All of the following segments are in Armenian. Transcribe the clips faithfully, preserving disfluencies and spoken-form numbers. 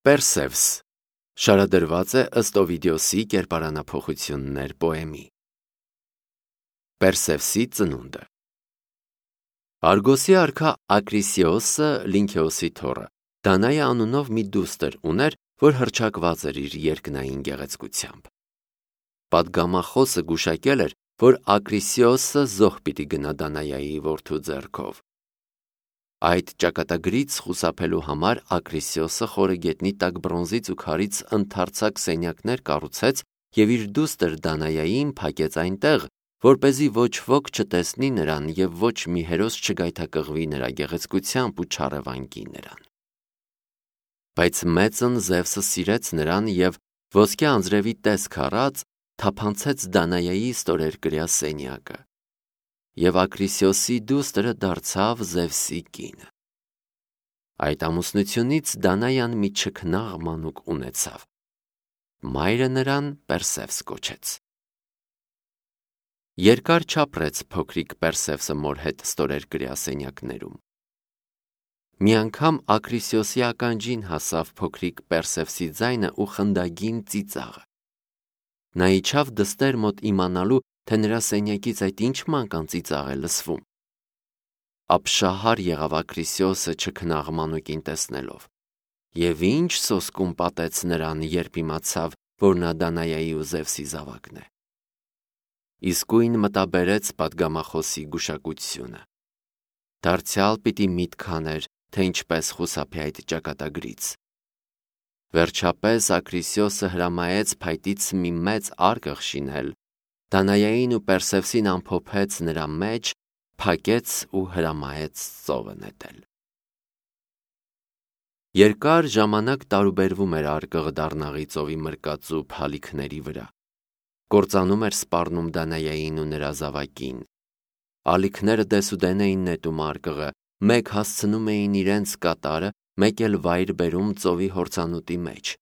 Պերսևս շարադրված է ըստ Օվիդիոսի կերպարանափոխություններ պոեմի։ Պերսևսի ծնունդը Արգոսի արքա Ակրիսիոսը Լինքեոսի թոռը Դանայ անունով մի դուստր ուներ, որ հռչակված էր իր երկնային գեղեցկությամբ։ Պատգամախոսը գուշակել էր, որ Ակրիսիոսը զոհ պիտի գնա Դանայայի որդու ձեռքով։ Այդ ճակատագրից խուսափելու համար Ակրիսիոսը խորը գետնի տակ բրոնզից ու քարից ընդարձակ սենյակներ կառուցեց և իր դուստր Դանայային փակեց այնտեղ, որպեսզի ոչ ոք չտեսնի նրան և ոչ մի հերոս չգայթակղվի նրա գեղեցկությամբ ու չառևանգի նրան։ Բայց մեծն Զևսը սիրեց նրան և ոսկե անձրևի տեսք առած թափանցեց Դանայայի ստորերկրյա սենյակը, և Ակրիսիոսի դուստրը դարձավ Զևսի կինը։ Այդ ամուսնությունից Դանայան մի չքնաղ մանուկ ունեցավ։ Մայրը նրան Պերսևս կոչեց։ Երկար չապրեց փոքրիկ Պերսևսը մոր հետ ստորերկրյա սենյակներում։ Մի անգամ Ակրիսիոսի ականջին հասավ փոքրիկ Պերսևսի ձայնը ու խնդագին ծիծաղը։ Նա իջավ դստեր մոտ իմանալու, թե նրա սենյակից այդ ինչ մանկան ծիծաղ է լսվում։ Ապշահար եղավ Ակրիսիոսը չքնաղ մանուկին տեսնելով, և ինչ սոսկում պատեց նրան, երբ իմացավ, որ նա Դանայայի ու Զևսի զավակն է։ Իսկույն մտաբերեց պատգամախոսի գուշակությունը։ Դարձյալ պիտի միտք աներ, թե ինչպես խուսափի այդ ճակատագրից։ Վերջապես Ակրիսիոսը հրամայեց փայտից մի մեծ արկղ շինել, Դանայային ու Պերսևսին ամփոփեց նրա մեջ, փակեց ու հրամայեց ծովը նետել։ Երկար ժամանակ տարուբերվում էր արկղը Դառնաղի ծովի մրկածու փալիքների վրա։ Կործանում էր սպառնում Դանայային ու նրա զավակին։ Ալիքները դեսուդեն էին նետում արկղը, մեկ հասցնում էին իրենց կատարը, մեկ էլ վայր բերում ծովի հորձանուտի մեջ։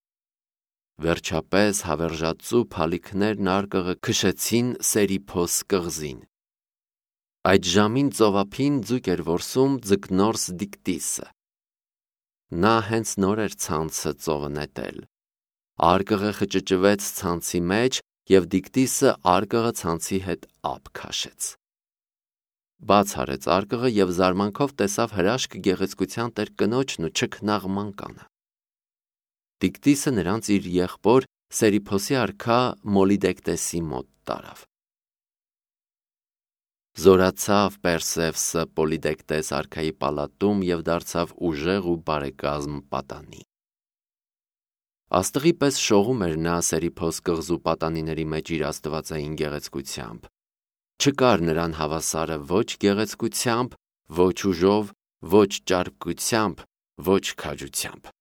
Վերջապես հավերժածու փալիքներն արկղը քշեցին Սերիփոս կղզին։ Այդ ժամին ծովափին ձուկ էր որսում Ձկնորս Դիկտիսը։ Նա հենց նոր էր ցանցը ծովը նետել։ Արկղը խճճվեց ցանցի մեջ, և Դիկտիսը արկղը ցանցի հետ ափ քաշեց։ Բաց արեց արկղը և զարմանքով տեսավ հրաշք գեղեցկության տեր կնոջն ու չքնաղ մանկանը։ Դիկտիսը նրանց իր եղբոր Սերիփոսի արքա Մոլիդեկտեսի մոտ տարավ։ Զորացավ Պերսևսը Պոլիդեկտես արքայի պալատում և դարձավ ուժեղ ու բարեկազմ պատանի։ Աստղի պես շողում էր նա Սերիփոս կղզու պատանիների մեջ իր աստվածային գեղեցկությամբ։ Չկար նրան հավասարը ոչ գեղեցկությամբ, ոչ ուժով, ոչ ճարպկությամբ, ոչ քաջությամբ։